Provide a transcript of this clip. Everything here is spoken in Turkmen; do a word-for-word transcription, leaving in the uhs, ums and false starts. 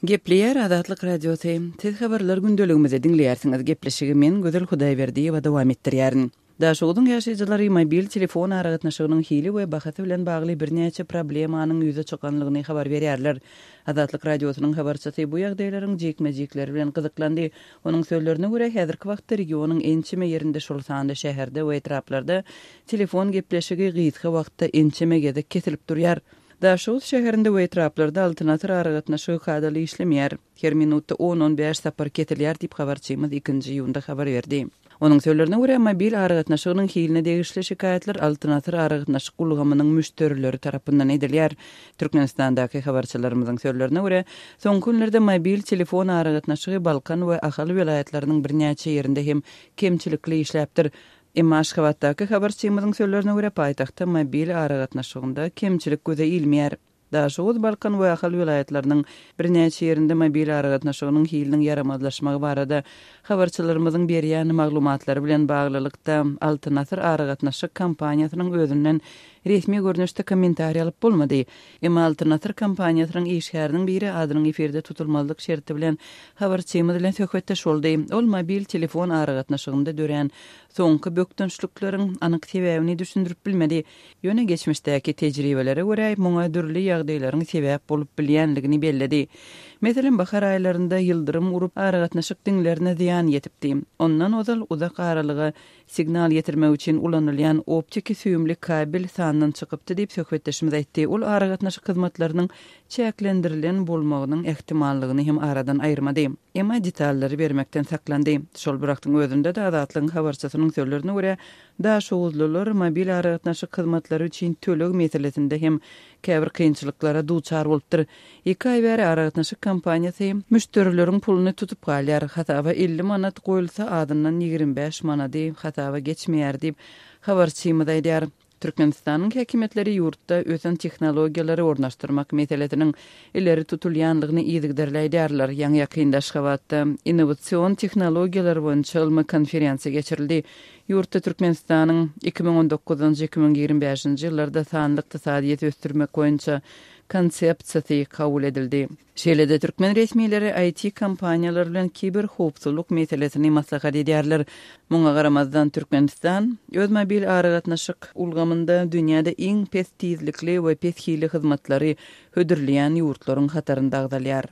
Gepleýär Azatlyk Radiosy. Siz habarlar gündeligimizi diňleýärsiňiz. Gepleşigi men Gözel Hudaýberdiýewa dowam etdirýärin. Daşoguzyň ýaşaýjylary mobil telefon aragatnaşygynyň hili we bahasy bilen bagly birnäçe problemanyň ýüze çykanlygyny habar berýärler. Azatlyk Radiosynyň habarçysy bu ýagdaýlaryň jikme-jikleri bilen gyzyklandy. Onuň sözlerine görä, häzirki wagtda regionyň ençeme ýerinde şol sanda şäherde we etraplarda telefon gepleşigi gysga wagtda ençeme gezek kesilip durýar. Daşoguz şäherinde we etraplarda Altyn Asyr aragatnaşygy kadaly işlemeýär. Her minutda on-on bäş sapar kesilýär diýip habarçymyz ikinji iýunda habar berdi. Onuň sözlerine görä, mobil aragatnaşygynyň hiline degişli şikaýatlar Altyn Asyr aragatnaşyk ulgamynyň müşderileri tarapyndan edilýär. Türkmenistandaky habarçylarymyzyň sözlerine görä, soňky günlerde mobil telefon aragatnaşygy Balkan we Ahal welaýatlarynyň birnäçe ýerinde hem kemçilikli işläpdir. Emma Aşgabatdaky habarçymyzyň sözlerine görä, paýtagtda mobil aragatnaşygynda kemçilik göze ilmeýär. Daşoguz, Balkan we Ahal welaýatlarynyň birnäçe ýerinde mobil aragatnaşygynyň hiliniň ýaramazlaşmagy barada habarçylarymyzyň berýän maglumatlary bilen baglylykda Altyn Asyr aragatnaşyk kompaniýasynyň özünden resmi görnüşde kommentariý alyp bolmady. Emma Altyn Asyr kompaniýasynyň işgäriniň biri adynyň efirde tutulmazlyk şerti bilen habarçymyz bilen söhbetdeş boldy. Ol mobil telefon aragatnaşygynda dörän soňky bökdençlikleriň anyk sebäbini düşündirip bilmedi. Ýöne geçmişdäki tejribelere görä muňa dürli ýagdaýlaryň sebäp bolup bilýänligini belledi. Meselem, bahar aýlarynda ýyldyrym urup aragatnaşyk diňlerine zyýan ýetipdi. Ondan ozal uzak aralyga signal ýetirmek üçin ulanylýan optiki süýümli kabel sandan çykypdy diýip söhbetdeşimiz aýtdy. Ol aragatnaşyk hyzmatlarynyň çäklendirilen bolmagynyň ähtimallygyny hem aradan aýyrmady. Emma detallary bermekden saklandy. Şol bir wagtyň özünde-de Azatlygyň habarçysynyň sözlerine görä, Daşoguzlylar mobil aragatnaşyk hyzmatlary üçin töleg meselesinde hem käbir kynçylyklara duçar bolupdyr. Iki aý bäri aragatnaşyk kompaniýasy müşderileriň puluny tutup galýar. Hasaba elli manat goýulsa, azyndan ýigrimi bäş manady hasaba geçmeýär diýip, habarçymyz aýdýar. Türkmenistanyň häkimiýetleri ýurtda ösen tehnologiýalary ornaşdyrmak meselesiniň ileri tutulýanlygyny yzygiderli aýdýarlar. Ýaňy-ýakynda Aşgabatda innowasion tehnologiýalar boýunça ylmy konferensiýa geçirildi. Ýurtda Türkmenistanyň iki müň on dokuzynjy, iki müň ýigrimi bäşinji ýyllarda sanly ykdysadyýeti ösdürmek boýunça konsepsiýasy kabul edildi. Şeýle-de türkmen resmileri I T kompaniýalary bilen kiberhowpsuzlyk meselesini maslahat edýärler. Muňa garamazdan Türkmenistan öz mobil aragatnaşyk ulgamynda dünýäde iň pes tizlikli we pes hili hyzmatlary hödürleýän ýurtlaryň hatarynda agzalýar.